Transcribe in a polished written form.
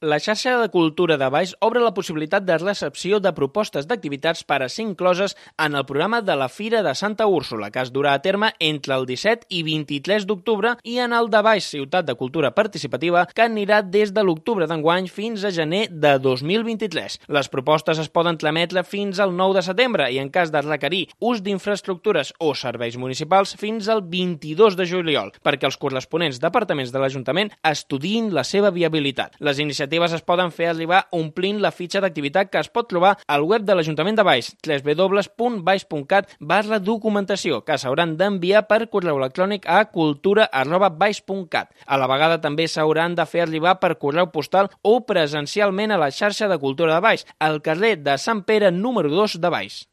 La xarxa de cultura de Valls obre la possibilitat de recepció de propostes d'activitats per a ser incloses en el programa de la Fira de Santa Úrsula, que es durà a terme entre el 17 i 23 d'octubre, i en el de Valls Ciutat de Cultura Participativa, que anirà des de l'octubre d'enguany fins a gener de 2023. Les propostes es poden trametre fins al 9 de setembre i, en cas de requerir ús d'infraestructures o serveis municipals, fins al 22 de juliol, perquè els corresponents departaments de l'Ajuntament estudiïn la seva viabilitat. Les iniciatives es poden fer arribar omplint la fitxa d'activitat que es pot trobar al web de l'Ajuntament de Valls, www.valls.cat/documentació, que s'hauran d'enviar per correu electrònic a cultura@valls.cat. A la vegada també s'hauran de fer arribar per correu postal o presencialment a la xarxa de cultura de Valls, al carrer de Sant Pere número 2 de Valls.